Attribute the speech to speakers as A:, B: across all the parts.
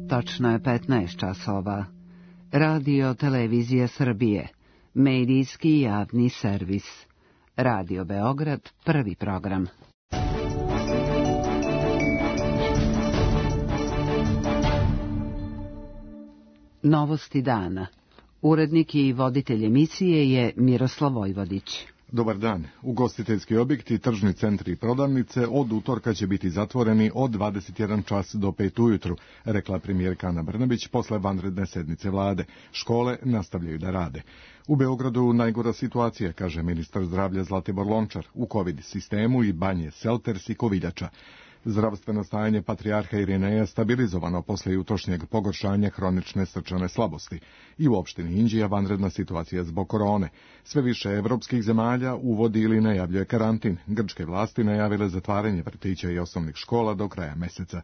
A: Tačno je 15 časova. Radio Televizija Srbije. Medijski javni servis. Radio Beograd, prvi program. Novosti dana. Urednik i voditelj emisije je Miroslav Vojvodić.
B: Dobar dan. Ugostiteljski objekti, tržni centri i prodavnice od utorka će biti zatvoreni od 21 čas do 5 ujutru, rekla premijerka Ana Brnabić posle vanredne sednice vlade. Škole nastavljaju da rade. U Beogradu najgora situacija, kaže ministar zdravlja Zlatibor Lončar, u COVID sistemu i Banje, Selters i Koviljača. Zdravstveno stanje patrijarha Irineja stabilizovano posle jutrošnjeg pogoršanja hronične srčane slabosti. I u opštini Inđija vanredna situacija zbog korone. Sve više evropskih zemalja uvodi ili najavljuje karantin. Grčke vlasti najavile zatvaranje vrtića i osnovnih škola do kraja meseca.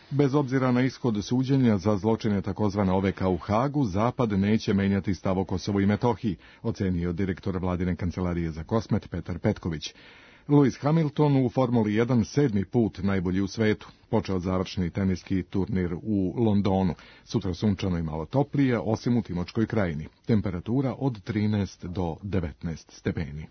B: Bez obzira na ishod suđenja za zločine takozvane OVK u Hagu, Zapad neće menjati stav o Kosovu i Metohiji, ocenio direktor vladine kancelarije za Kosmet Petar Petković. Lewis Hamilton u Formuli 1 7. put najbolji u svetu. Počeo završni teniski turnir u Londonu. Sutra sunčano i malo toplije, osim u Timočkoj krajini. Temperatura od 13 do 19 stepeni.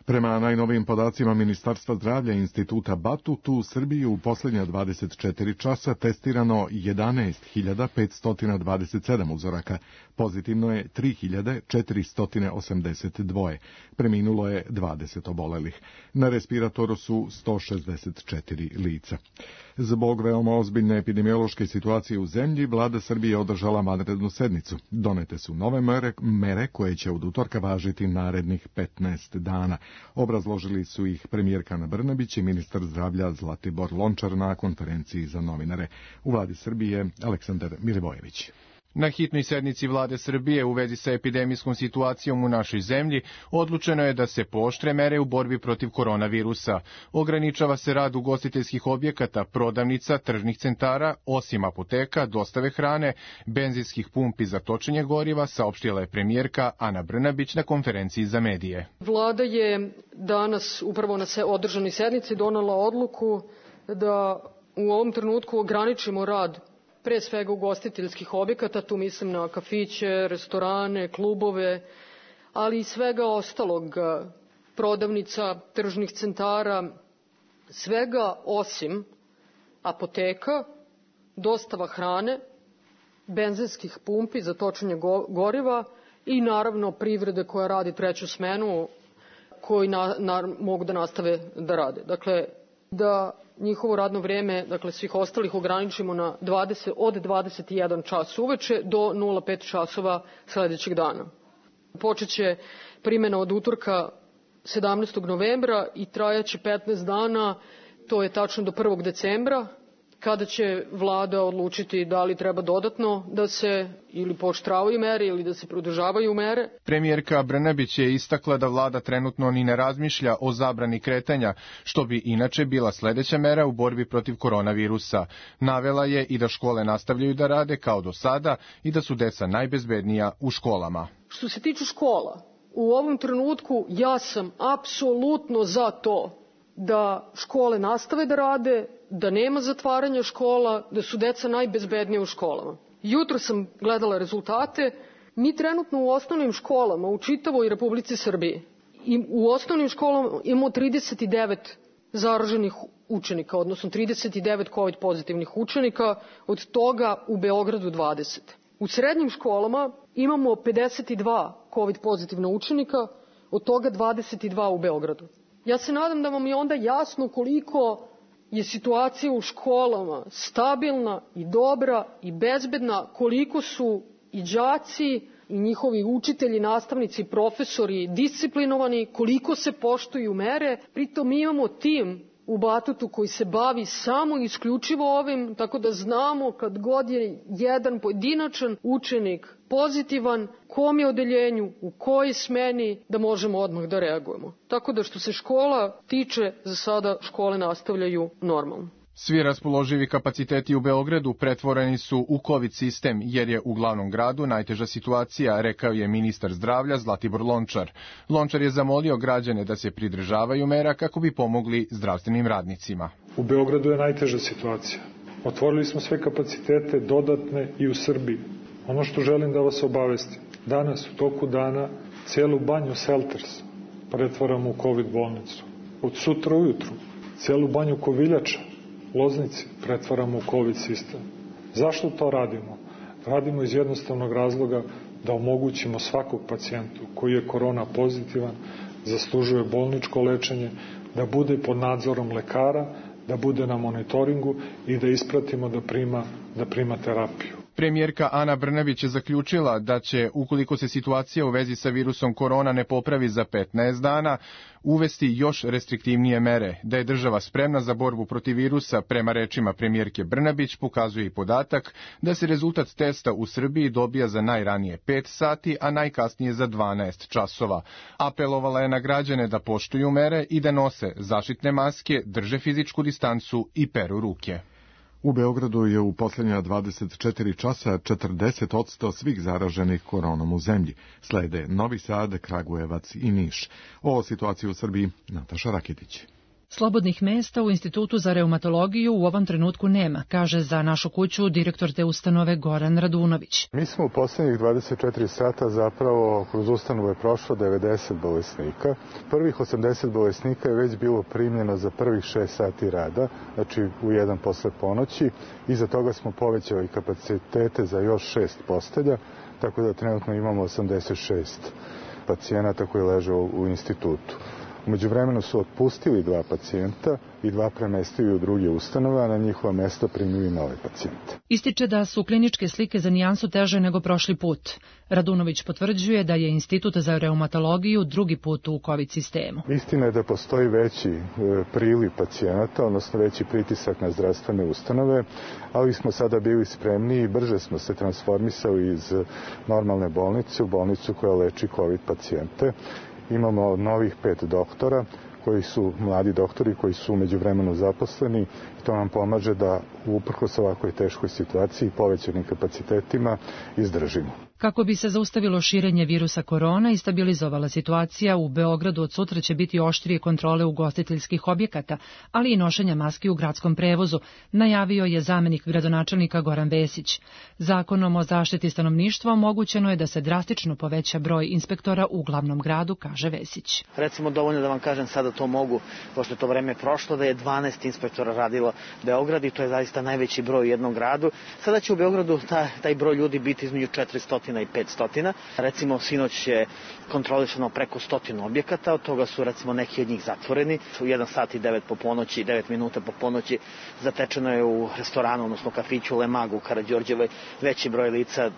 B: Prema najnovijim podacima Ministarstva zdravlja i Instituta Batut, u Srbiji u posljednja 24 časa testirano 11.527 uzoraka. Pozitivno je 3.482. Preminulo je 20 obolelih. Na respiratoru su 164 lica. Zbog veoma ozbiljne epidemiološke situacije u zemlji, vlada Srbije održala vanrednu sednicu. Donete su nove mere koje će od utorka važiti narednih 15 dana. Obrazložili su ih premijerka Ana Brnabić i ministar zdravlja Zlatibor Lončar na konferenciji za novinare. U vladi Srbije Aleksandar Milivojević.
C: Na hitnoj sednici vlade Srbije u vezi sa epidemijskom situacijom u našoj zemlji odlučeno je da se pooštre mere u borbi protiv koronavirusa. Ograničava se rad ugostiteljskih objekata, prodavnica, tržnih centara, osim apoteka, dostave hrane, benzinskih pumpi za točenje goriva, saopštila je premijerka Ana Brnabić na konferenciji za medije.
D: Vlada je danas upravo na održanoj sednici donela odluku da u ovom trenutku ograničimo rad pre svega ugostiteljskih objekata, tu mislim na kafiće, restorane, klubove, ali i svega ostalog, prodavnica, tržnih centara, svega osim apoteka, dostava hrane, benzinskih pumpi za točenje goriva i naravno privrede koja radi treću smenu, koji mogu da nastave da rade. Dakle, da njihovo radno vreme, dakle svih ostalih, ograničimo na od 21 čas uveče do 05 časova sledećeg dana. Počeće primjena od utorka 17. novembra i trajaće 15 dana, to je tačno do 1. decembra, kada će vlada odlučiti da li treba dodatno da se ili pooštravaju mere ili da se produžavaju mere.
C: Premijerka Brnabić je istakla da vlada trenutno ni ne razmišlja o zabrani kretanja, što bi inače bila sledeća mera u borbi protiv koronavirusa. Navela je i da škole nastavljaju da rade kao do sada i da su deca najbezbednija u školama.
D: Što se tiče škola, u ovom trenutku ja sam apsolutno za to da škole nastave da rade, da nema zatvaranja škola, da su deca najbezbednija u školama. Jutro sam gledala rezultate. Mi trenutno u osnovnim školama u čitavoj Republici Srbiji i u osnovnim školama imamo 39 zaraženih učenika, odnosno 39 COVID pozitivnih učenika, od toga u Beogradu 20. U srednjim školama imamo 52 COVID pozitivna učenika, od toga 22 u Beogradu. Ja se nadam da vam je onda jasno koliko je situacija u školama stabilna i dobra i bezbedna, koliko su i đaci i njihovi učitelji, nastavnici, profesori disciplinovani, koliko se poštuju mere. Pritom mi imamo tim u Batutu koji se bavi samo isključivo ovim, tako da znamo kad god je jedan pojedinačan učenik pozitivan, kom je odeljenju, u kojoj smeni, da možemo odmah da reagujemo. Tako da što se škola tiče, za sada škole nastavljaju normalno.
C: Svi raspoloživi kapaciteti u Beogradu pretvoreni su u COVID sistem, jer je u glavnom gradu najteža situacija, rekao je ministar zdravlja Zlatibor Lončar. Lončar je zamolio građane da se pridržavaju mera kako bi pomogli zdravstvenim radnicima.
E: U Beogradu je najteža situacija. Otvorili smo sve kapacitete dodatne i u Srbiji. Ono što želim da vas obavestim, danas u toku dana celu banju Selters pretvaramo u COVID bolnicu. Od sutra ujutru celu banju Koviljača, Loznici, pretvaramo u COVID sistem. Zašto to radimo? Radimo iz jednostavnog razloga da omogućimo svakog pacijentu koji je korona pozitivan, zaslužuje bolničko lečenje, da bude pod nadzorom lekara, da bude na monitoringu i da ispratimo da prima terapiju.
C: Premijerka Ana Brnabić je zaključila da će, ukoliko se situacija u vezi sa virusom korona ne popravi za 15 dana, uvesti još restriktivnije mere. Da je država spremna za borbu protiv virusa, prema rečima premijerke Brnabić, pokazuje i podatak da se rezultat testa u Srbiji dobija za najranije 5 sati, a najkasnije za 12 časova. Apelovala je na građane da poštuju mere i da nose zaštitne maske, drže fizičku distancu i peru ruke.
B: U Beogradu je u posljednja 24 časa 40% svih zaraženih koronom u zemlji. Slede Novi Sad, Kragujevac i Niš. O situaciji u Srbiji Nataša Rakitić.
F: Slobodnih mesta u Institutu za reumatologiju u ovom trenutku nema, kaže za Našu kuću direktor te ustanove Goran Radunović.
G: Mi smo u posljednjih 24 sata zapravo kroz ustanovu je prošlo 90 bolesnika. Prvih 80 bolesnika je već bilo primljeno za prvih 6 sati rada, znači u 1 posle ponoći. Iza toga smo povećali kapacitete za još 6 postelja, tako da trenutno imamo 86 pacijenata koji leže u institutu. U međuvremenu su otpustili 2 pacijenta i 2 premestili u druge ustanove, a na njihova mesta primili nove pacijente.
F: Ističe da su kliničke slike za nijansu teže nego prošli put. Radunović potvrđuje da je Institut za reumatologiju drugi put u COVID sistemu.
G: Istina je da postoji veći priliv pacijenata, odnosno veći pritisak na zdravstvene ustanove, ali smo sada bili spremni i brže smo se transformisali iz normalne bolnice u bolnicu koja leči COVID pacijente. Imamo novih 5 doktora, koji su mladi doktori, koji su u međuvremenu zaposleni i to nam pomaže da uprkos ovakvoj teškoj situaciji i povećanim kapacitetima izdržimo.
F: Kako bi se zaustavilo širenje virusa korona i stabilizovala situacija, u Beogradu od sutra će biti oštrije kontrole ugostiteljskih objekata, ali i nošenja maski u gradskom prevozu, najavio je zamenik gradonačelnika Goran Vesić. Zakonom o zaštiti stanovništva omogućeno je da se drastično poveća broj inspektora u glavnom gradu, kaže Vesić.
H: Recimo dovoljno da vam kažem sada to mogu, pošto je to vreme prošlo, da je 12 inspektora radilo Beograd i to je zaista najveći broj u jednom gradu. Sada će u Beogradu taj broj ljudi biti između 400 i 500. Recimo, sinoć je kontrolisano preko 100 objekata, od toga su recimo neki od njih zatvoreni. U 1 sat i 9 minuta po ponoći zatečeno je u restoranu, odnosno kafiću Lemagu u Karađorđevoj veći broj lica,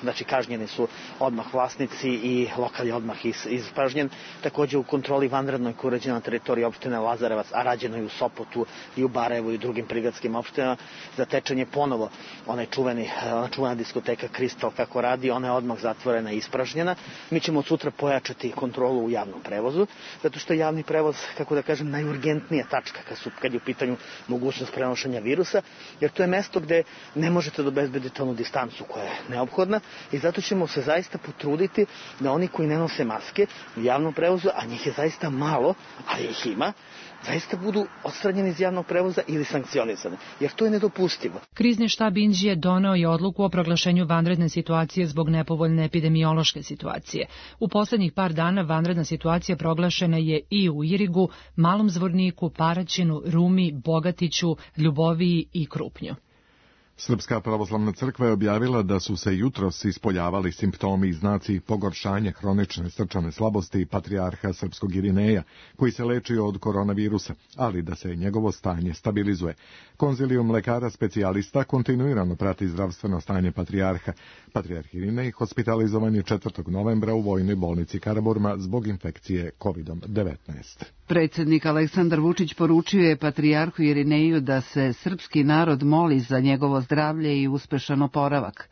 H: znači kažnjeni su odmah vlasnici i lokal je odmah ispražnjen. Također u kontroli vanrednoj koja je urađena na teritoriji opštine Lazarevac, a rađeno je u Sopotu i u Barajevu i drugim prigradskim opštinama, zatečen je ponovo ona čuvena diskoteka Kristal kako radi, ona je odmah zatvorena i ispražnjena. Mi ćemo od sutra pojačati kontrolu u javnom prevozu, zato što je javni prevoz, kako da kažem, najurgentnija tačka kad je u pitanju mogućnost prenošenja virusa, jer to je mesto gde ne možete da obezbedite onu distancu koja je neophodna i zato ćemo se zaista potruditi da oni koji ne nose maske u javnom prevozu, a njih je zaista malo, ali ih ima, zaista budu odstranjeni iz javnog prevoza ili sankcionisani, jer to je nedopustivo.
F: Krizni štab Inđije doneo je odluku o proglašenju vanredne situacije zbog nepovoljne epidemiološke situacije. U poslednjih par dana vanredna situacija proglašena je i u Irigu, Malom Zvorniku, Paraćinu, Rumi, Bogatiću, Ljuboviji i Krupnju.
B: Srpska pravoslavna crkva je objavila da su se jutros ispoljavali simptomi i znaci pogoršanja hronične srčane slabosti patrijarha srpskog Irineja, koji se lečio od koronavirusa, ali da se njegovo stanje stabilizuje. Konzilijum lekara specijalista kontinuirano prati zdravstveno stanje patrijarha. Patrijarh Irinej hospitalizovan je 4. novembra u vojnoj bolnici Karaburma zbog infekcije COVID-19.
A: Predsjednik Aleksandar Vučić poručio je patrijarhu Irineju da se srpski narod moli za njegovo zdravlje i uspešan oporavak.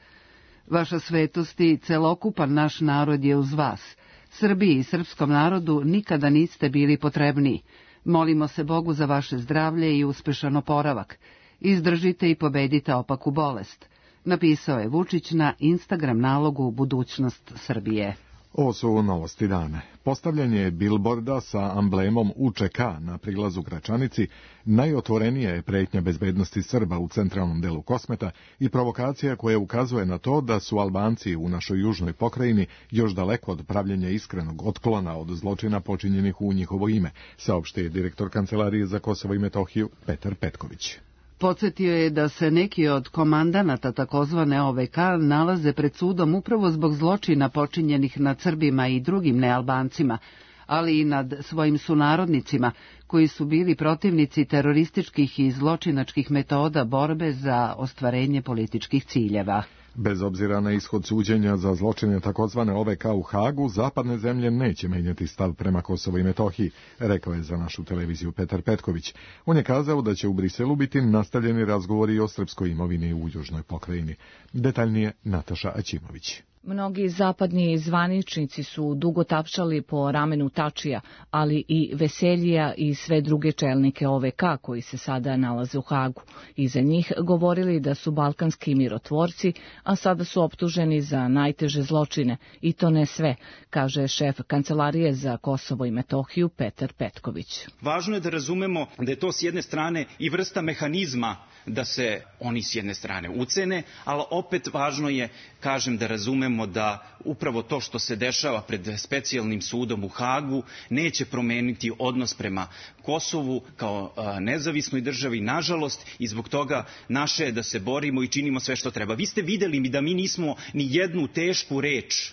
A: Vaša svetost i celokupan naš narod je uz vas. Srbiji i srpskom narodu nikada niste bili potrebniji. Molimo se Bogu za vaše zdravlje i uspešan oporavak. Izdržite i pobedite opaku bolest, napisao je Vučić na Instagram nalogu Budućnost Srbije.
B: Ovo su novosti dana. Postavljanje bilborda sa amblemom UČK na prilazu Gračanici najotvorenija je pretnja bezbednosti Srba u centralnom delu Kosmeta i provokacija koja ukazuje na to da su Albanci u našoj južnoj pokrajini još daleko od pravljenja iskrenog otklona od zločina počinjenih u njihovo ime, saopštio je direktor Kancelarije za Kosovo i Metohiju Petar Petković.
A: Podsjetio je da se neki od komandanata takozvane OVK nalaze pred sudom upravo zbog zločina počinjenih nad Srbima i drugim nealbancima, ali i nad svojim sunarodnicima koji su bili protivnici terorističkih i zločinačkih metoda borbe za ostvarenje političkih ciljeva.
B: Bez obzira na ishod suđenja za zločine takozvane OVK u Hagu, zapadne zemlje neće menjati stav prema Kosovu i Metohiji, rekao je za našu televiziju Petar Petković. On je kazao da će u Briselu biti nastavljeni razgovori o srpskoj imovini u južnoj pokrajini. Detaljnije Nataša Aćimović.
I: Mnogi zapadni zvaničnici su dugo tapšali po ramenu Tačija, ali i Veseljija i sve druge čelnike OVK koji se sada nalaze u Hagu. I za njih govorili da su balkanski mirotvorci, a sada su optuženi za najteže zločine. I to ne sve, kaže šef Kancelarije za Kosovo i Metohiju Petar Petković.
J: Važno je da razumemo da je to s jedne strane i vrsta mehanizma da se oni s jedne strane ucene, ali opet važno je, kažem, da razumemo da upravo to što se dešava pred specijalnim sudom u Hagu neće promeniti odnos prema Kosovu kao nezavisnoj državi, nažalost, i zbog toga naše je da se borimo i činimo sve što treba. Vi ste videli da mi nismo ni jednu tešku reč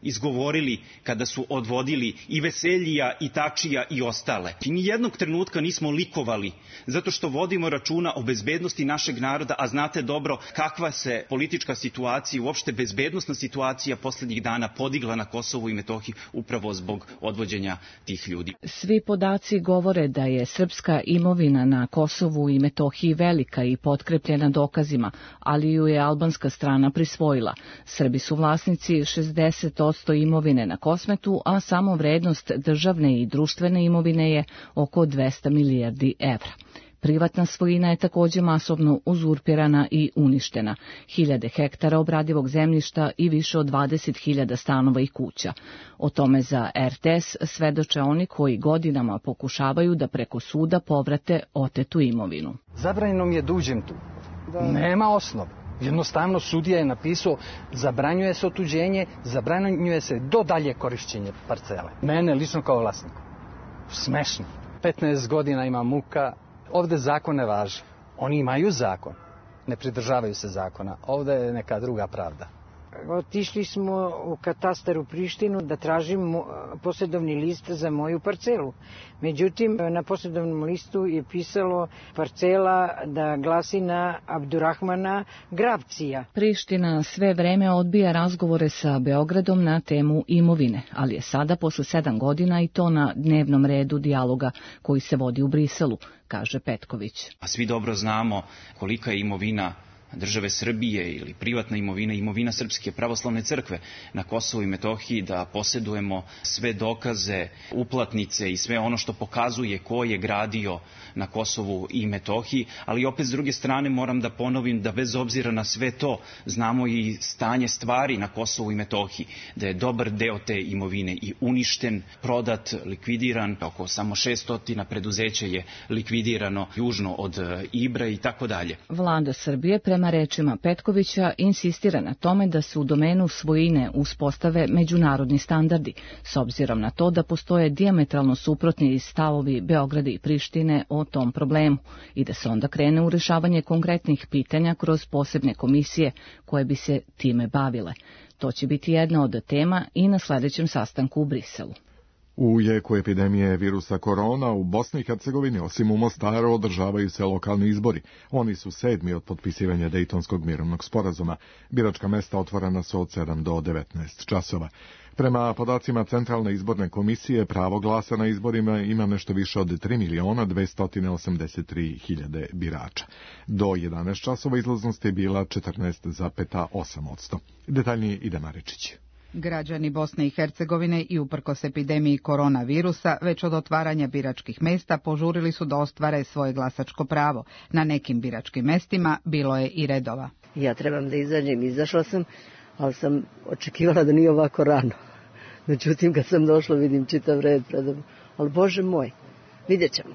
J: izgovorili kada su odvodili i Veseljija i Tačija i ostale. I ni jednog trenutka nismo likovali, zato što vodimo računa o bezbednosti našeg naroda, a znate dobro kakva se politička situacija, uopšte bezbednosna situacija poslednjih dana podigla na Kosovu i Metohiji upravo zbog odvođenja tih ljudi.
I: Svi podaci govore da je srpska imovina na Kosovu i Metohiji velika i potkrepljena dokazima, ali ju je albanska strana prisvojila. Srbi su vlasnici 60% imovine na Kosmetu, a samo vrednost državne i društvene imovine je oko 200 milijardi evra. Privatna svojina je također masovno uzurpirana i uništena. Hiljade hektara obradivog zemljišta i više od 20.000 stanova i kuća. O tome za RTS svedoče oni koji godinama pokušavaju da preko suda povrate otetu imovinu.
K: Zabranjeno mi je da uđem tu. Nema osnova. Jednostavno sudija je napisao zabranjuje se otuđenje, zabranjuje se do dalje korišćenje parcele. Mene lično kao vlasnik. Smešno. 15 godina ima muka. Ovde zakon ne važi. Oni imaju zakon. Ne pridržavaju se zakona. Ovde je neka druga pravda.
L: Otišli smo u katastar u Prištinu da tražimo posjedovni list za moju parcelu. Međutim, na posjedovnom listu je pisalo parcela da glasi na Abdurrahmana Gravcija.
I: Priština sve vreme odbija razgovore sa Beogradom na temu imovine, ali je sada posle 7 godina i to na dnevnom redu dijaloga koji se vodi u Briselu, kaže Petković.
J: A svi dobro znamo kolika je imovina države Srbije ili privatna imovina, imovina Srpske pravoslavne crkve na Kosovu i Metohiji, da posjedujemo sve dokaze, uplatnice i sve ono što pokazuje ko je gradio na Kosovu i Metohiji, ali opet s druge strane moram da ponovim da bez obzira na sve to znamo i stanje stvari na Kosovu i Metohiji, da je dobar deo te imovine i uništen, prodat, likvidiran, oko samo 600 preduzeća je likvidirano južno od Ibra i tako dalje.
I: Vlada Srbije prema rečima Petkovića insistira na tome da se u domenu svojine uspostave međunarodni standardi, s obzirom na to da postoje dijametralno suprotni stavovi Beograda i Prištine o tom problemu i da se onda krene u rešavanje konkretnih pitanja kroz posebne komisije koje bi se time bavile. To će biti jedna od tema i na sledećem sastanku u Briselu.
B: U jeku epidemije virusa korona u Bosni i Hercegovini, osim u Mostaru, održavaju se lokalni izbori. Oni su 7. od potpisivanja Dejtonskog mirovnog sporazuma. Biračka mesta otvorena su od 7 do 19 časova. Prema podacima Centralne izborne komisije, pravo glasa na izborima ima nešto više od 3.283.000 birača. Do 11 časova izlaznost je bila 14,8%. Detaljnije Ida Maričić.
M: Građani Bosne i Hercegovine i uprkos epidemiji koronavirusa već od otvaranja biračkih mesta požurili su da ostvare svoje glasačko pravo. Na nekim biračkim mestima bilo je i redova.
N: Ja trebam da izađem, izašla sam, ali sam očekivala da nije ovako rano. Međutim, kad sam došla vidim čitav red predom. Ali Bože moj, vidjet ćemo.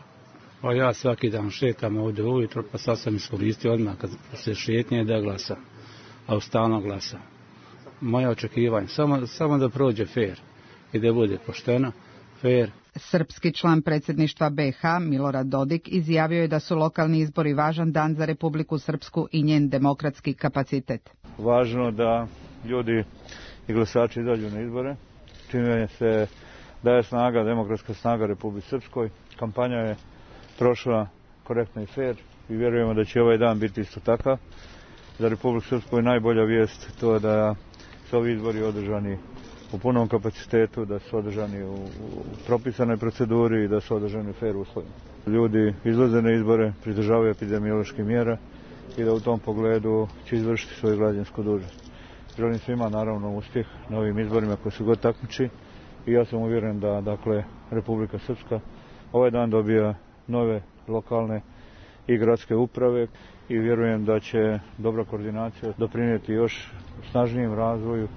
O: Pa ja svaki dan šetam ovdje ujutro, pa sad sam iskoristio odmah kad se šetnje da glasam, a stalno glasam. Moje očekivanje, samo da prođe fair i da bude pošteno, fair.
M: Srpski član predsjedništva BiH Milorad Dodik izjavio je da su lokalni izbori važan dan za Republiku Srpsku i njen demokratski kapacitet.
P: Važno da ljudi i glasači izađu na izbore, čime se daje snaga, demokratska snaga Republike Srpskoj. Kampanja je prošla korektno i fair i vjerujemo da će ovaj dan biti isto takav. Za Republiku Srpsku je najbolja vijest to da su ovi izbori održani u punom kapacitetu, da su održani u propisanoj proceduri i da su održani u fair uslovima. Ljudi izlaze na izbore, pridržavaju epidemioloških mjera i da u tom pogledu će izvršiti svoju građansku dužnost. Želim svima naravno uspjeh na ovim izborima koji su god takmiči i ja sam uvjeren da Republika Srpska ovaj dan dobija nove lokalne i gradske uprave i vjerujem da će dobra koordinacija doprinijeti još snažnijem razvoju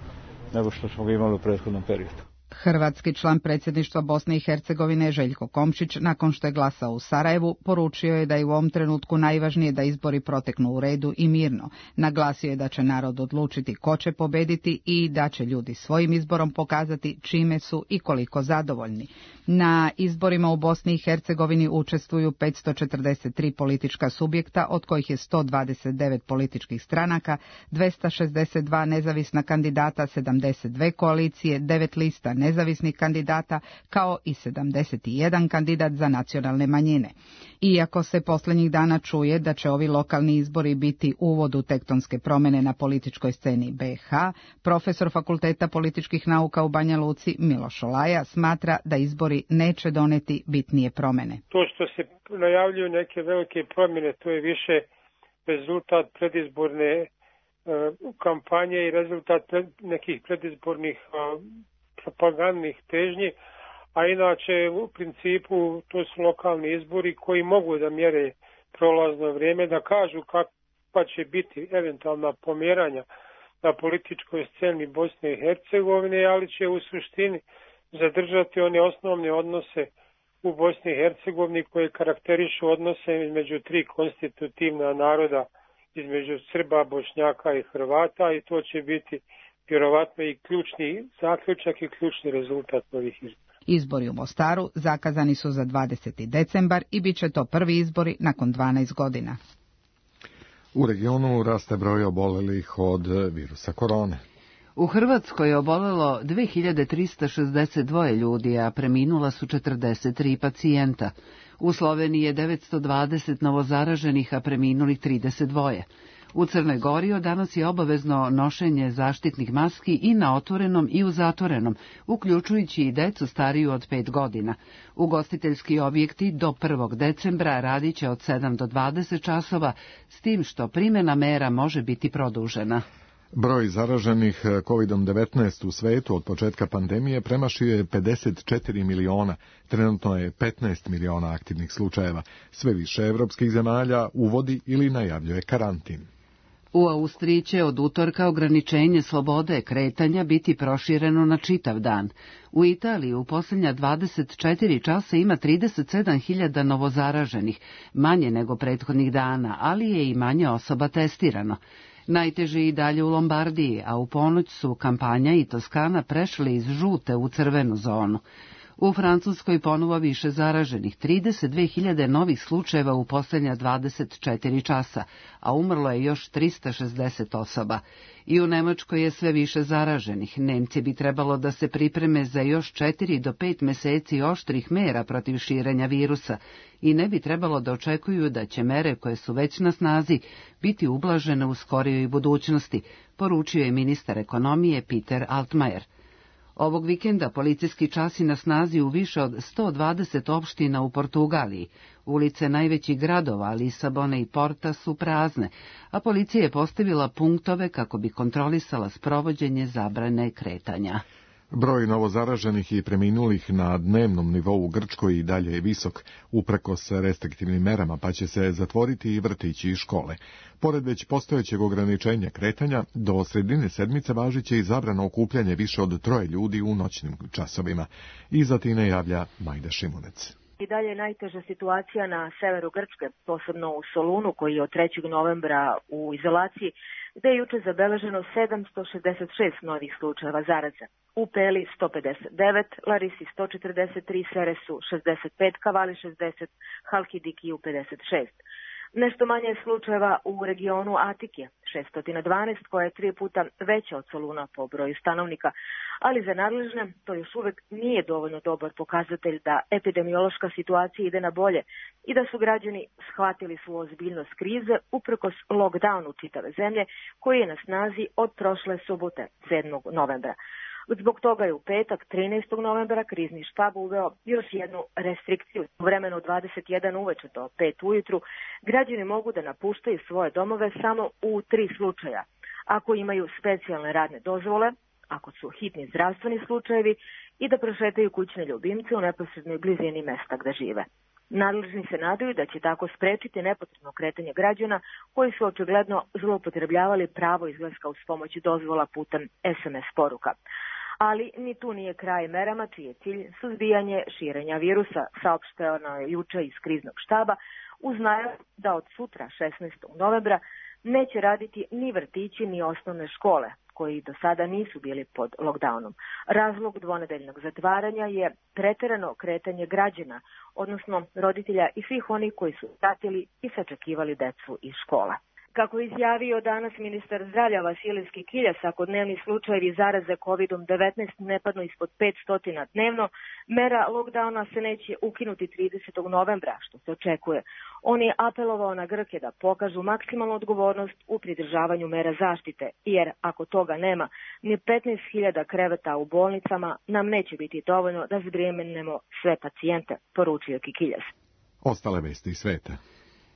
P: nego što smo ga imali u prethodnom periodu.
M: Hrvatski član predsjedništva Bosne i Hercegovine Željko Komšić, nakon što je glasao u Sarajevu, poručio je da je u ovom trenutku najvažnije da izbori proteknu u redu i mirno. Naglasio je da će narod odlučiti ko će pobediti i da će ljudi svojim izborom pokazati čime su i koliko zadovoljni. Na izborima u Bosni i Hercegovini učestvuju 543 politička subjekta, od kojih je 129 političkih stranaka, 262 nezavisna kandidata, 72 koalicije, 9 lista nezavisnih kandidata, kao i 71 kandidat za nacionalne manjine. Iako se posljednjih dana čuje da će ovi lokalni izbori biti uvod u tektonske promjene na političkoj sceni BiH, profesor Fakulteta političkih nauka u Banja Luci Miloš Olaja smatra da izbori neće doneti bitnije promjene.
Q: To što se najavljuju neke velike promjene, to je više rezultat predizborne kampanje i rezultat nekih predizbornih propagandnih težnji, a inače u principu to su lokalni izbori koji mogu da mjere prolazno vrijeme, da kažu kakva će biti eventualna pomjeranja na političkoj sceni Bosne i Hercegovine, ali će u suštini zadržati one osnovne odnose u Bosni i Hercegovini koje karakterišu odnose između tri konstitutivna naroda, između Srba, Bošnjaka i Hrvata, i to će biti vjerovatno i ključni zaključak i ključni rezultat ovih izbora.
M: Izbori u Mostaru zakazani su za 20. decembar i bit će to prvi izbori nakon 12 godina.
B: U regionu raste broj obolelih od virusa korone.
A: U Hrvatskoj je obolelo 2362 ljudi, a preminula su 43 pacijenta. U Sloveniji je 920 novozaraženih, a preminulih 32. U Crnoj Gori od danas je obavezno nošenje zaštitnih maski i na otvorenom i u zatvorenom, uključujući i decu stariju od 5 godina. Ugostiteljski objekti do 1. decembra radit će od 7 do 20 časova, s tim što primjena mera može biti produžena.
B: Broj zaraženih COVID-19 u svetu od početka pandemije premašio je 54 miliona. Trenutno je 15 miliona aktivnih slučajeva. Sve više evropskih zemalja uvodi ili najavljuje karantin.
A: U Austriji će od utorka ograničenje slobode kretanja biti prošireno na čitav dan. U Italiji u posljednja 24 časa ima 37.000 novozaraženih, manje nego prethodnih dana, ali je i manje osoba testirano. Najteže i dalje u Lombardiji, a u ponoć su Kampanja i Toskana prešli iz žute u crvenu zonu. U Francuskoj ponovo više zaraženih, 32.000 novih slučajeva u posljednja 24 časa, a umrlo je još 360 osoba. I u Nemačkoj je sve više zaraženih. Nemci bi trebalo da se pripreme za još 4 do 5 mjeseci oštrih mera protiv širenja virusa i ne bi trebalo da očekuju da će mere koje su već na snazi biti ublažene u skorijoj budućnosti, poručio je ministar ekonomije Peter Altmaier. Ovog vikenda policijski časi na snazi u više od 120 opština u Portugaliji. Ulice najvećih gradova, Lisabona i Porta, su prazne, a policija je postavila punktove kako bi kontrolisala sprovođenje zabrane kretanja.
B: Broj novozaraženih i preminulih na dnevnom nivou u Grčkoj i dalje je visok, uprkos restriktivnim merama, pa će se zatvoriti i vrtići i škole. Pored već postojećeg ograničenja kretanja, do sredine sedmice važiće i zabrano okupljanje više od 3 ljudi u noćnim časovima. Iz Atine javlja Majda Šimunec.
R: I dalje je najteža situacija na severu Grčke, posebno u Solunu, koji je od 3. novembra u izolaciji, gde je juče zabeleženo 766 novih slučajeva zaraze. U Peli 159, Larisi 143, Seresu 65, Kavali 60, Halkidikiju 56. Nešto manje slučajeva u regionu Atike, 612, koja je 3 puta veća od Soluna po broju stanovnika, ali za nadležne to još uvek nije dovoljno dobar pokazatelj da epidemiološka situacija ide na bolje i da su građani shvatili svu ozbiljnost krize uprkos lockdownu čitave zemlje koji je na snazi od prošle subote, 7. novembra. Zbog toga je u petak, 13. novembra, krizni štab uveo još jednu restrikciju. U vremenu 21 uveče do 5 ujutru građani mogu da napuštaju svoje domove samo u 3 slučaja. Ako imaju specijalne radne dozvole, ako su hitni zdravstveni slučajevi i da prošetaju kućne ljubimce u neposrednoj blizini mesta gde žive. Nadležni se nadaju da će tako sprečiti nepotrebno kretanje građana koji su očigledno zloupotrebljavali pravo izlaska uz pomoć dozvola putem SMS poruka. Ali ni tu nije kraj merama čiji je cilj suzbijanje širenja virusa, saopšteno je juče iz kriznog štaba, uz najavu da od sutra, 16. novembra, neće raditi ni vrtići ni osnovne škole, koji do sada nisu bili pod lockdownom. Razlog dvonedeljnog zatvaranja je preterano kretanje građana, odnosno roditelja i svih onih koji su pratili i sačekivali decu iz škola. Kako je izjavio danas ministar zdravlja Vasilijski Kiljas, ako dnevni slučajevi zaraze COVID-19 ne padnu ispod 500 dnevno, mera lockdowna se neće ukinuti 30. novembra, što se očekuje. On je apelovao na Grke da pokažu maksimalnu odgovornost u pridržavanju mera zaštite, jer ako toga nema, ni 15.000 kreveta u bolnicama nam neće biti dovoljno da zbrijenemo sve pacijente, poručio Kikiljas.
B: Ostale vesti iz sveta.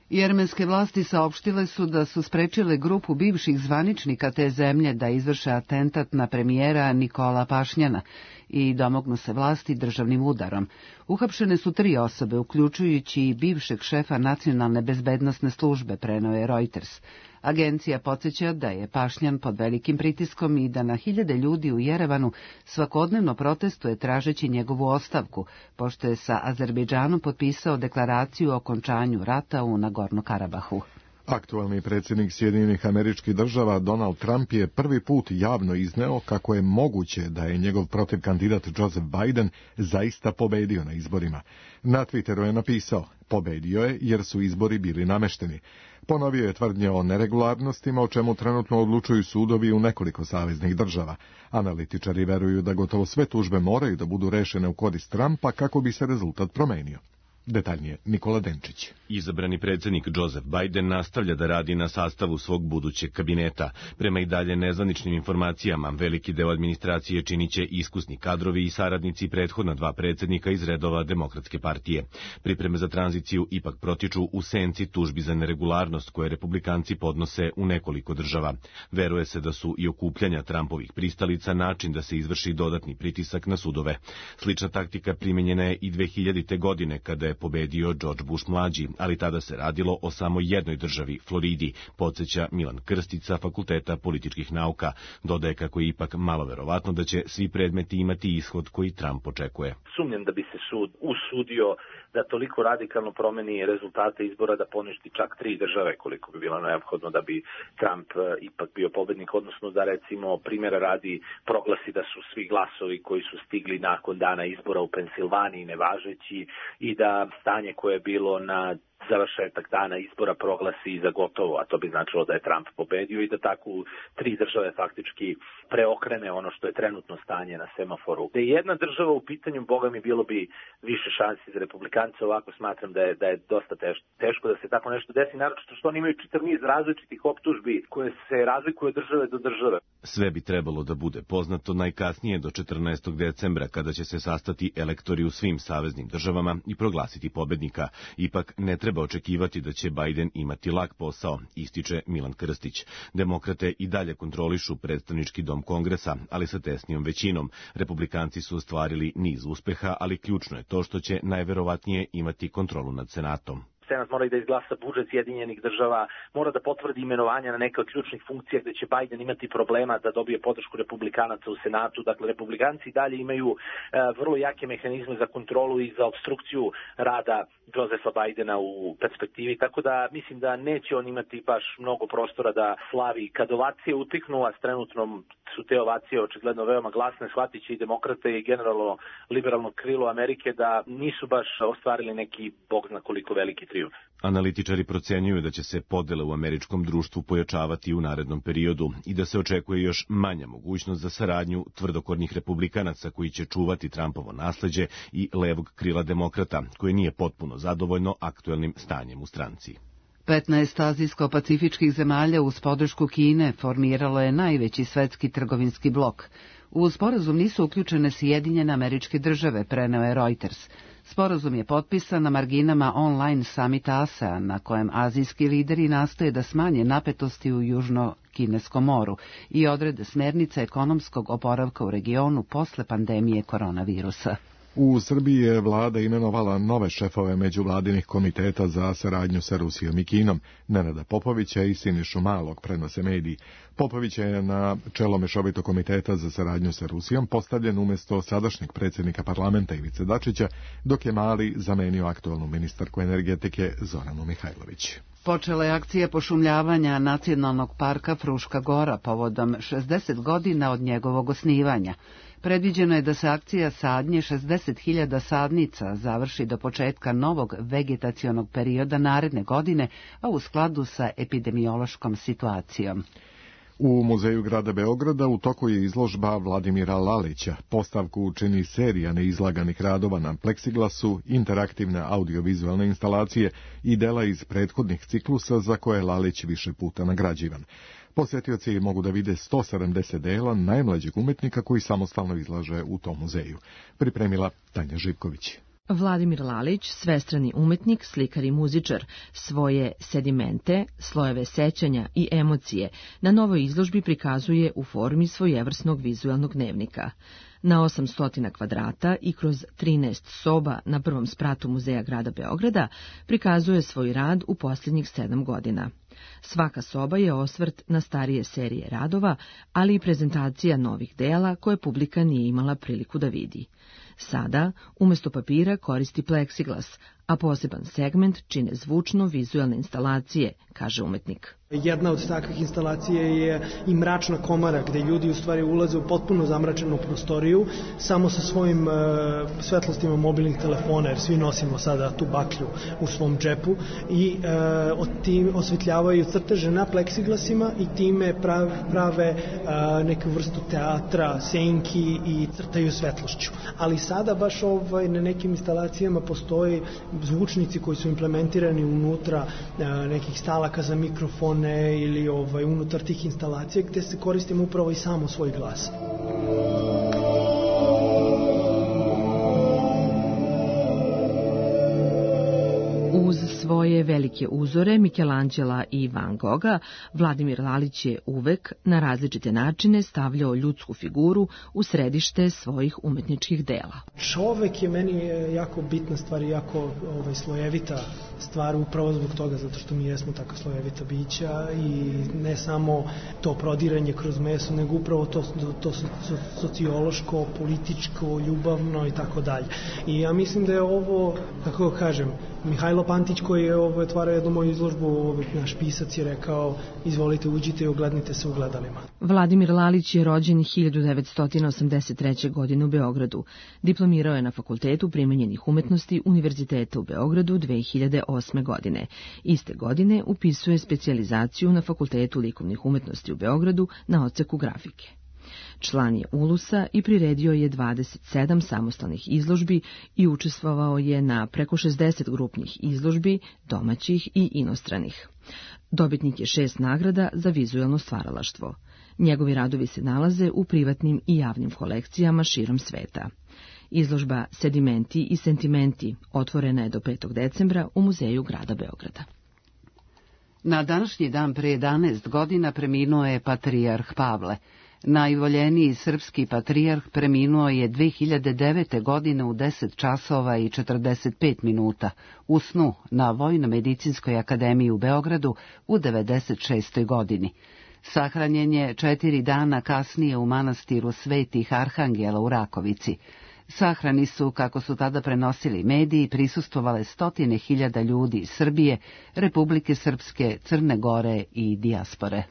A: Jermenske vlasti saopštile su da su sprečile grupu bivših zvaničnika te zemlje da izvrše atentat na premijera Nikola Pašnjana i domognu se vlasti državnim udarom. Uhapšene su 3 osobe, uključujući i bivšeg šefa nacionalne bezbednosne službe, preneo je Reuters. Agencija podsjeća da je Pašnjan pod velikim pritiskom i da na hiljade ljudi u Jerevanu svakodnevno protestuje tražeći njegovu ostavku, pošto je sa Azerbejdžanom potpisao deklaraciju o okončanju rata u Nagorno-Karabahu.
B: Aktualni predsjednik Sjedinjenih Američkih Država Donald Trump je prvi put javno izneo kako je moguće da je njegov protivkandidat Joseph Biden zaista pobedio na izborima. Na Twitteru je napisao: "Pobedio je jer su izbori bili namešteni." Ponovio je tvrdnje o neregularnostima, o čemu trenutno odlučuju sudovi u nekoliko saveznih država. Analitičari veruju da gotovo sve tužbe moraju da budu rešene u korist Trumpa kako bi se rezultat promenio. Detaljnije Nikola Denčić.
S: Izabrani predsjednik Joseph Biden nastavlja da radi na sastavu svog budućeg kabineta. Prema i dalje nezvaničnim informacijama, veliki deo administracije činiće iskusni kadrovi i saradnici prethodna 2 predsjednika iz redova Demokratske partije. Pripreme za tranziciju ipak protiču u senci tužbi za neregularnost koje republikanci podnose u nekoliko država. Veruje se da su i okupljanja Trumpovih pristalica način da se izvrši dodatni pritisak na sudove. Slična taktika primenjena je i 2000. godine kada je pobedio George Bush mlađi, ali tada se radilo o samo jednoj državi, Floridi, podsjeća Milan Krstic sa Fakulteta političkih nauka. Dodaje kako je ipak malo verovatno da će svi predmeti imati ishod koji Trump očekuje.
T: Sumnjam da bi se sud usudio da toliko radikalno promeni rezultate izbora da poništi čak 3 države koliko bi bilo neophodno da bi Trump ipak bio pobednik, odnosno da recimo primjera radi proglasi da su svi glasovi koji su stigli nakon dana izbora u Pensilvaniji nevažeći i da stanje koje je bilo na završetak dana izbora proglasi za gotovo, a to bi značilo da je Trump pobedio i da tako u 3 države faktički preokrene ono što je trenutno stanje na semaforu. Da je jedna država u pitanju, boga mi bilo bi više šansi za republikance, ovako smatram da je dosta teško da se tako nešto desi, naročito što oni imaju čitav niz različitih optužbi koje se razlikuju od države do države.
S: Sve bi trebalo da bude poznato najkasnije do 14. decembra, kada će se sastati elektori u svim saveznim državama i proglasiti pobednika. Ipak ne treba očekivati da će Biden imati lak posao, ističe Milan Krstić. Demokrate i dalje kontrolišu predstavnički dom Kongresa, ali sa tesnijom većinom. Republikanci su ostvarili niz uspeha, ali ključno je to što će najverovatnije imati kontrolu nad Senatom.
T: Senat mora i da izglasa budžet Sjedinjenih država, mora da potvrdi imenovanja na neke od ključnih funkcija gde će Biden imati problema da dobije podršku republikanaca u Senatu. Dakle, republikanci dalje imaju vrlo jake mehanizme za kontrolu i za obstrukciju rada Josefa Bidena u perspektivi, tako da mislim da neće on imati baš mnogo prostora da slavi. Kad ovacije utiknu, a s trenutnom su te ovacije očigledno veoma glasne, shvatit će i demokrate i generalno liberalno krilo Amerike da nisu baš ostvarili neki bog zna koliko veliki trijumf.
S: Analitičari procenjuju da će se podele u američkom društvu pojačavati u narednom periodu i da se očekuje još manja mogućnost za saradnju tvrdokornih republikanaca koji će čuvati Trumpovo nasleđe i levog krila demokrata, koje nije potpuno zadovoljno aktuelnim stanjem u stranci.
A: 15 azijsko-pacifičkih zemalja uz podršku Kine formiralo je najveći svetski trgovinski blok. U sporazum nisu uključene Sjedinjene Američke Države, preneo je Reuters. Sporazum je potpisan na marginama online samita ASEAN, na kojem azijski lideri nastoje da smanje napetosti u Južno-Kineskom moru i odrede smjernice ekonomskog oporavka u regionu posle pandemije koronavirusa.
B: U Srbiji je vlada imenovala nove šefove međuvladinih komiteta za saradnju sa Rusijom i Kinom, Nenada Popovića i Sinišu Malog, prenose mediji. Popović je na čelo mešovitog komiteta za saradnju sa Rusijom postavljen umjesto sadašnjeg predsjednika parlamenta Ivice Dačića, dok je Mali zamenio aktualnu ministarku energetike Zoranu Mihajlović.
A: Počela je akcija pošumljavanja Nacionalnog parka Fruška Gora povodom 60 godina od njegovog osnivanja. Predviđeno je da se akcija sadnje 60.000 sadnica završi do početka novog vegetacionog perioda naredne godine, a u skladu sa epidemiološkom situacijom.
B: U Muzeju grada Beograda u toku je izložba Vladimira Lalića. Postavku čini serija neizlaganih radova na pleksiglasu, interaktivne audiovizualne instalacije i dela iz prethodnih ciklusa za koje je Lalić više puta nagrađivan. Posjetioci mogu da vide 170 dela najmlađeg umetnika koji samostalno izlaže u tom muzeju. Pripremila Tanja Živković.
U: Vladimir Lalić, svestrani umetnik, slikar i muzičar, svoje sedimente, slojeve sećanja i emocije na novoj izložbi prikazuje u formi svojevrsnog vizualnog dnevnika. Na 800 kvadrata i kroz 13 soba na prvom spratu Muzeja grada Beograda prikazuje svoj rad u posljednjih 7 godina. Svaka soba je osvrt na starije serije radova, ali i prezentacija novih dela koje publika nije imala priliku da vidi. Sada, umjesto papira, koristi pleksiglas, a poseban segment čine zvučno-vizualne instalacije, kaže umetnik.
V: Jedna od takvih instalacija je i mračna komara, gde ljudi u stvari ulaze u potpuno zamračenu prostoriju, samo sa svojim svetlostima mobilnih telefona, jer svi nosimo sada tu baklju u svom džepu, i osvetljavaju crteže na pleksiglasima i time prave neku vrstu teatra, senki i crtaju svetlošću. Ali sada baš na nekim instalacijama postoji zvučnici koji su implementirani unutra nekih stalaka za mikrofone ili unutar tih instalacija gde se koristimo upravo i samo svoj glas.
U: Uz svoje velike uzore Michelangela i Van Gogha, Vladimir Lalić je uvek na različite načine stavljao ljudsku figuru u središte svojih umetničkih dela.
V: Čovek je meni jako bitna stvar i jako slojevita stvar, upravo zbog toga, zato što mi jesmo tako slojevita bića i ne samo to prodiranje kroz meso, nego upravo to sociološko, političko, ljubavno i tako dalje. I ja mislim da je ovo, kako kažem, Mihajlo Pantić koji je otvarao jednu moju izložbu, naš pisac je rekao, izvolite uđite i oglednite se u gledalima.
U: Vladimir Lalić je rođen 1983. godine u Beogradu. Diplomirao je na Fakultetu primenjenih umetnosti Univerziteta u Beogradu 2008. 2008. godine. Iste godine upisuje specijalizaciju na Fakultetu likovnih umetnosti u Beogradu na odseku grafike. Član je Ulusa i priredio je 27 samostalnih izložbi i učestvovao je na preko 60 grupnih izložbi, domaćih i inostranih. Dobitnik je 6 nagrada za vizuelno stvaralaštvo. Njegovi radovi se nalaze u privatnim i javnim kolekcijama širom sveta. Izložba Sedimenti i sentimenti otvorena je do 5. decembra u Muzeju grada Beograda.
A: Na današnji dan pre 11 godina preminuo je patrijarh Pavle. Najvoljeniji srpski patrijarh preminuo je 2009. godine u 10 časova i 45 minuta u snu na Vojno-medicinskoj akademiji u Beogradu u 96. godini. Sahranjen je 4 dana kasnije u manastiru Svetih Arhangela u Rakovici. Sahrani su, kako su tada prenosili mediji, prisustvovale 100.000 ljudi iz Srbije, Republike Srpske, Crne Gore i dijaspore.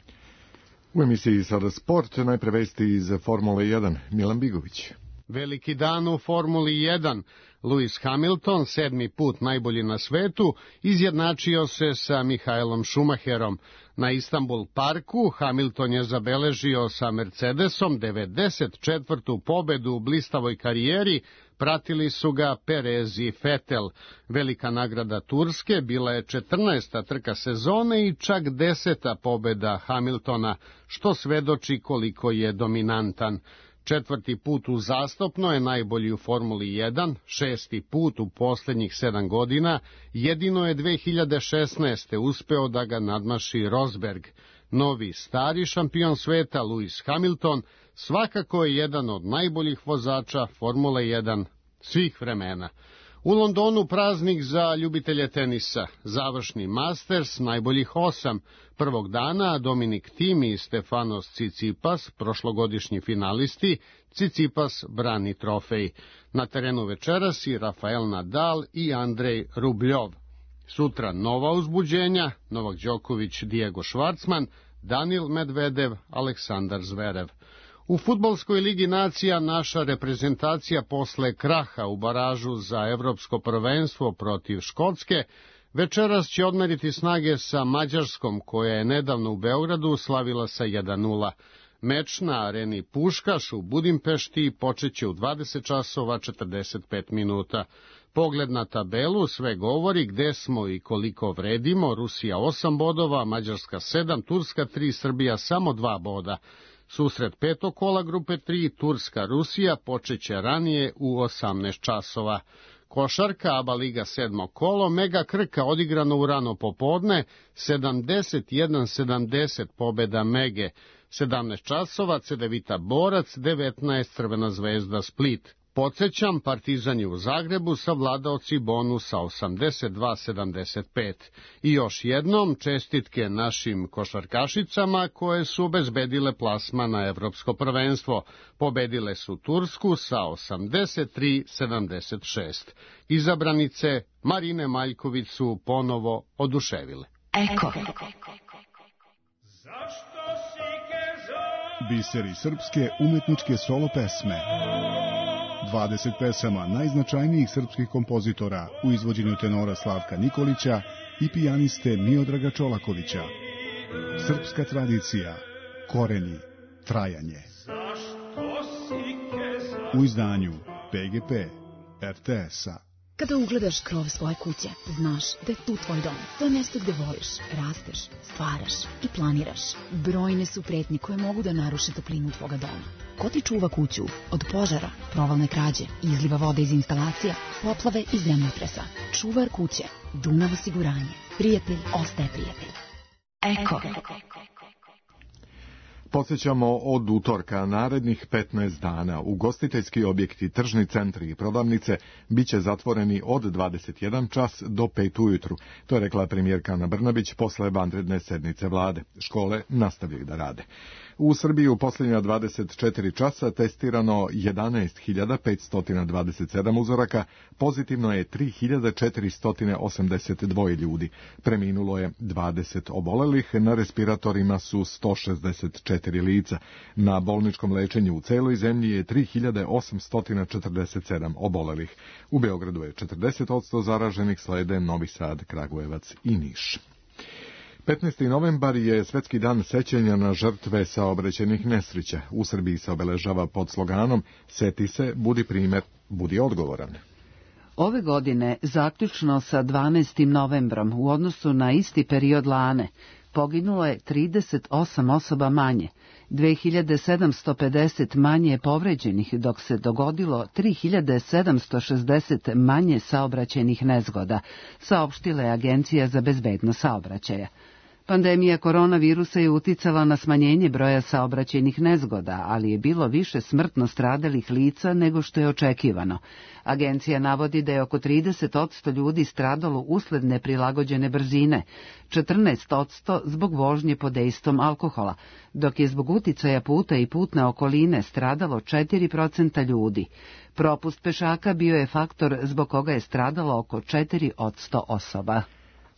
B: U emisiji Sada sport, najpre vesti iz Formule 1, Milan Bigović.
D: Veliki dan u Formuli 1. Lewis Hamilton, 7. put najbolji na svetu, izjednačio se sa Michaelom Schumacherom. Na Istanbul parku Hamilton je zabeležio sa Mercedesom 94. pobedu u blistavoj karijeri, pratili su ga Perez i Vettel. Velika nagrada Turske bila je 14. trka sezone i čak 10. pobeda Hamiltona, što svedoči koliko je dominantan. 4. put uzastopno je najbolji u Formuli 1, 6. put u posljednjih 7 godina, jedino je 2016. uspeo da ga nadmaši Rosberg. Novi stari šampion sveta Lewis Hamilton svakako je jedan od najboljih vozača Formule 1 svih vremena. U Londonu praznik za ljubitelje tenisa, završni Masters najboljih 8. Prvog dana Dominik Thiem i Stefanos Tsitsipas, prošlogodišnji finalisti, Tsitsipas brani trofej. Na terenu večeras i Rafael Nadal i Andrej Rubljov. Sutra nova uzbuđenja, Novak Đoković, Diego Schwartzman, Danil Medvedev, Aleksandar Zverev. U Fudbalskoj ligi nacija naša reprezentacija posle kraha u baražu za evropsko prvenstvo protiv Škotske večeras će odmeriti snage sa Mađarskom, koja je nedavno u Beogradu slavila sa 1:0. Meč na areni Puškaš u Budimpešti počeće u 20 časova 45 minuta. Pogled na tabelu sve govori gde smo i koliko vredimo. Rusija 8 bodova, Mađarska 7, Turska 3, Srbija samo 2 boda. Susret 5. kola grupe 3, Turska-Rusija, počeće ranije u 18 časova. Košarka, ABA liga 7. kolo, Mega Krka odigrano u rano popodne, 71-70 pobeda Mege. 17 časova, Cedevita Borac, 19 Crvena zvezda Split. Podsećam, Partizan je u Zagrebu savladao Cibonu sa 82-75. I još jednom čestitke našim košarkašicama koje su obezbedile plasman na evropsko prvenstvo. Pobedile su Tursku sa 83-76. Izabranice Marine Maljković su ponovo oduševile.
E: Eko.
W: Biseri srpske umetničke solo pesme. 20 pesama najznačajnijih srpskih kompozitora u izvođenju tenora Slavka Nikolića i pijaniste Miodraga Čolakovića. Srpska tradicija, koreni, trajanje. U izdanju PGP RTS-a.
X: Kada ugledaš krov svoje kuće, znaš da je tu tvoj dom. To je mjesto gde voliš, rasteš, stvaraš i planiraš. Brojne su pretnje koje mogu da naruše toplinu tvoga doma. Ko ti čuva kuću od požara, provalne krađe, izliva vode iz instalacija, poplave i zemljotresa? Čuvar kuće, Dunav osiguranje. Prijatelj ostaje prijatelj. Eko.
B: Podsjećamo od utorka narednih 15 dana ugostiteljski objekti, tržni centri i prodavnice biće zatvoreni od 21 čas do 5 ujutru. To je rekla premijerka Ana Brnabić posle vanredne sednice vlade. Škole nastavljaju da rade. U Srbiji u posljednja 24 časa testirano 11.527 uzoraka, pozitivno je 3.482 ljudi. Preminulo je 20 obolelih, na respiratorima su 164 4 lica. Na bolničkom lečenju u celoj zemlji je 3847 obolelih. U Beogradu je 40% zaraženih, slede Novi Sad, Kragujevac i Niš. 15. novembar je Svetski dan sećanja na žrtve saobraćajnih nesreća. U Srbiji se obeležava pod sloganom "Seti se, budi primer, budi odgovoran".
A: Ove godine, zaključno sa 12. novembrom, u odnosu na isti period lane, poginulo je 38 osoba manje, 2750 manje povređenih, dok se dogodilo 3760 manje saobraćajnih nezgoda, saopštila je Agencija za bezbednost saobraćaja. Pandemija koronavirusa je uticala na smanjenje broja saobraćajnih nezgoda, ali je bilo više smrtno stradalih lica nego što je očekivano. Agencija navodi da je oko 30% ljudi stradalo usled neprilagođene brzine, 14% zbog vožnje pod dejstvom alkohola, dok je zbog uticaja puta i putne okoline stradalo 4% ljudi. Propust pešaka bio je faktor zbog koga je stradalo oko 4% osoba.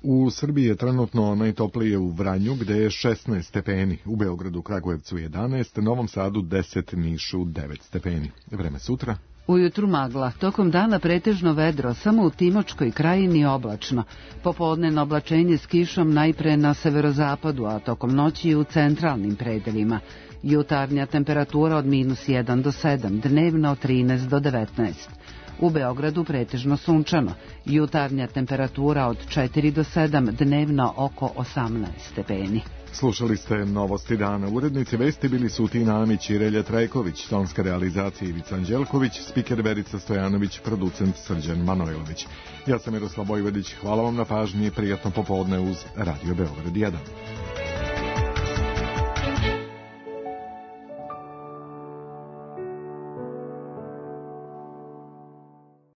B: U Srbiji je trenutno najtoplije u Vranju, gde je 16 stepeni, u Beogradu, Kragujevcu 11, Novom Sadu 10, Nišu 9 stepeni. Vreme sutra?
A: Ujutru magla, tokom dana pretežno vedro, samo u Timočkoj krajini oblačno. Popodnevno oblačenje s kišom najpre na severozapadu, a tokom noći u centralnim predelima. Jutarnja temperatura od -1 do 7, dnevno od 13 do 19. U Beogradu pretežno sunčano, jutarnja temperatura od 4 do 7, dnevno oko 18 stepeni.
B: Slušali ste Novosti dana. Urednici vesti bili su Tina Amić i Relja Trajković, tonska realizacija Ivica Anđelković, spiker Verica Stojanović, producent Srđan Manojlović. Ja sam Miroslav Vojvodić, hvala vam na pažnji, prijatno popodne uz Radio Beograd 1.